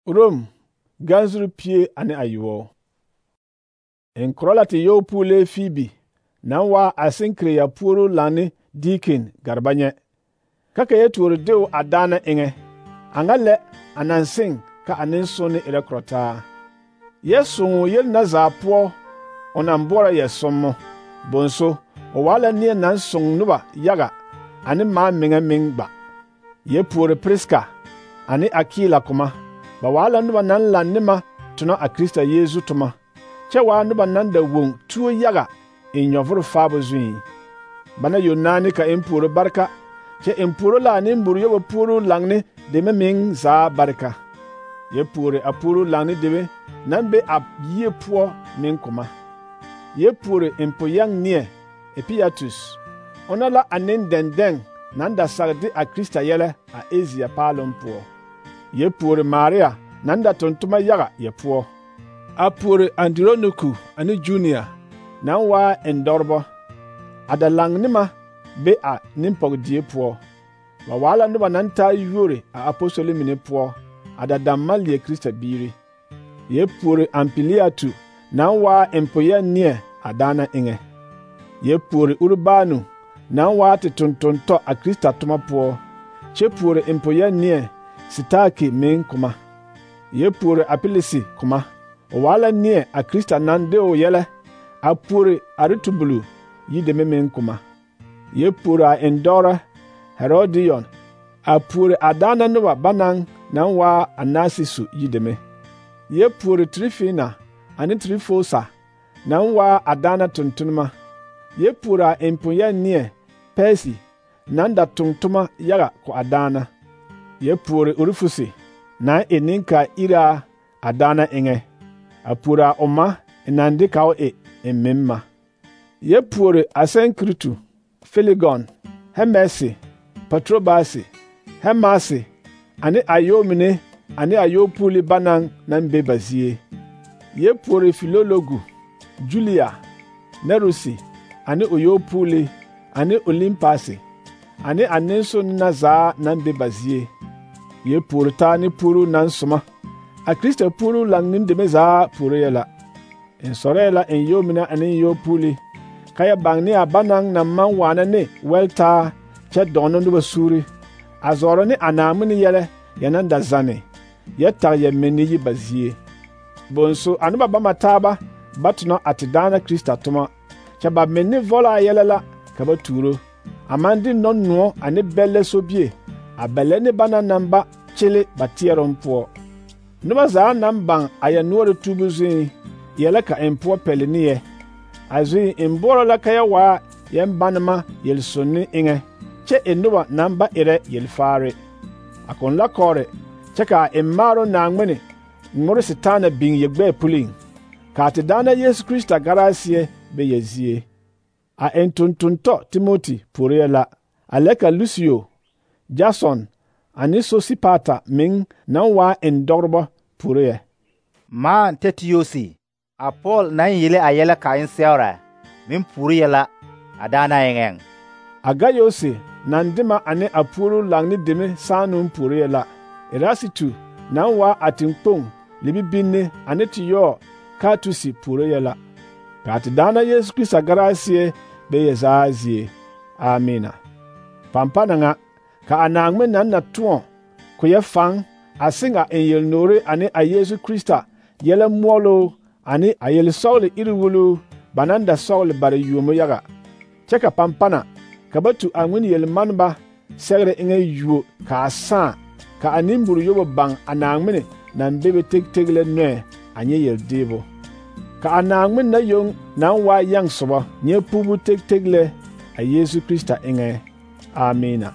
Rom ganzuru pie ane ayoɔ. En korɔ la te yɔɔ puulee Fibi naŋ waa a seŋkire ya puoruu laŋne diikin gareba nyɛ. Ka ka yɛ tuori deo a daana eŋɛ. A ŋa lɛ a naŋ seŋ ka a nensonne erɛ korɔtaa. Yɛ sõõ yel na zaa poɔ o naŋ boɔrɔ yɛ sõmmo. Bonso, o waa la neɛ naŋ soŋ noba yaga ane maa meŋɛ meŋ gba. Yɛ puori Priska ane Akila koma. Ba waa la noba naŋ laŋ ne ma tona a Krista Yeesu toma, kyɛ waa noba naŋ da woŋ tuo yaga en nyɔvoro faabo zuiŋ. Bana yonaane ka en puoro bareka, kyɛ en puoro la a nemboro yobo puoruu laŋne deme meŋ zaa bareka. Yɛ puori a puoruu laŋne deme naŋ be a yie poɔ meŋ koma. Yɛ puori en po-yɛŋ neɛ Epiatus, ona la a nendɛndɛŋ naŋ da sage de a Krista yɛlɛ a Asia paaloŋ poɔ. Yɛ puori Maria naŋ da tontoma yaga yɛ poɔ. A puori Andironiku ane Junia naŋ waa endɔrebɔ. A da laŋ ne ma be a nempɔgedie poɔ. Ba waa la noba naŋ taa yuori a apostoli mine poɔ, a da damma leɛ Krista biiri. Yɛ puori Ampiliatu naŋ waa en po-yɛŋ neɛ a daana eŋɛ. Yɛ puori Urubanu naŋ waa te tontontɔ a Krista toma poɔ, kyɛ puori en po-yɛŋ neɛ Sitaki meŋ koma. Yɛ puori Apilisi koma. O waa la neɛ a Krista naŋ de o yɛlɛ. A puori Aritubulu yideme meŋ koma. Yɛ puori a endɔrɔ Herodion. A puori a daana noba banaŋ naŋ waa a Narsisu yideme. Yɛ puori Trifina ane Trifosa naŋ waa a daana tontonema. Yɛ puori a en po-yɛŋ neɛ Persi naŋ da tontoma yaga ko a daana. Yɛ puori Urufusi naŋ e nenkaa iraa a daana eŋɛ. A puori a o ma naŋ de ka o e en meŋ ma. Yɛ puori Asenkritu, Felegon, Hemesi, Patrobasi, Hemasi ane ayɔɔ mine ane ayɔɔ puuli banaŋ naŋ be ba zie. Yɛ puori Filologu, Julia, Nerusi ane o yɔɔ puuli ane Olimpasi ane a nensonne na zaa naŋ be ba zie. Yɛ puori taa ne puuruu naŋ soma. A Krista puuruu laŋne deme zaa puoree la. En sɔrɛɛ la en yɔɔ mine ane yɔɔ puuli, ka yɛ baŋ ne a banaŋ naŋ maŋ waana ne wɛltaa kyɛ dɔɔnɔ noba suuri, a zɔɔrɔ ne a Naawmin yɛlɛ yɛ naŋ da zanne, yɛ tag yɛ menne yi ba zie. Bonso a noba bama taaba ba tona a te daana Krista toma, kyɛ ba menne vɔlaa yɛlɛ la ka ba tuuro, a maŋ de nɔnoɔ ane bɛllɛ sobie a bɛlɛ ne bana naŋ ba kyele ba teɛroŋ poɔ. Noba zaa naŋ baŋ a yɛ noɔre tuubu zuiŋ yɛlɛ ka en poɔ pɛle ne yɛ. A zuiŋ en boɔrɔ la ka yɛ waa yɛn banema yel-sonne eŋɛ, kyɛ e noba naŋ ba erɛ yelfaare. A kõn la kɔɔre kyɛ ka a en maaro Naawmin ŋmore Setaana biŋ yɛ gbɛɛ puliŋ, ka a te daana Yesu Krista garaaseɛ be yɛ zie. A en tontontɔ Timoti puoree la, a lɛ ka Lusio, Jason ane Sosipata meŋ naŋ waa endɔrebɔ puoree. Maan Tɛtiyosi, a Pɔɔl naŋ yele a yɛlɛ ka en sɛora meŋ puoree la a daana eŋɛŋ. A Gayosi naŋ de ma ane a puoruu laŋne deme saanoŋ puoree la. Erasitu naŋ waa a teŋkpoŋ libibinne ane te yɔɔ Kaatusi puoree la. Ka a te daana Yesu Krista garaaseɛ be yɛ zaa zie. Amina. Pampana ŋa, ka a Naawmin naŋ na tõɔ ko yɛ faŋ a seŋ a en yel-noore ane a Yesu Krista yɛlɛ moɔloo ane a yel-sɔgele iri-wuluu ba naŋ da sɔgele bare yuomo yaga. Kyɛ ka pampana ka ba tu a ŋmene yel-maneba sɛgere eŋɛ yuo ka a sãã, ka a nemboro yobo baŋ a Naawmin naŋ bebe tegtegelɛ nɔɛ a nyɛ yel-deebo. Ka a Naawmin na yoŋ naŋ waa yaŋ sobɔ nyɛ puubu tegtegelɛ a Yesu Krista eŋɛ. Amina.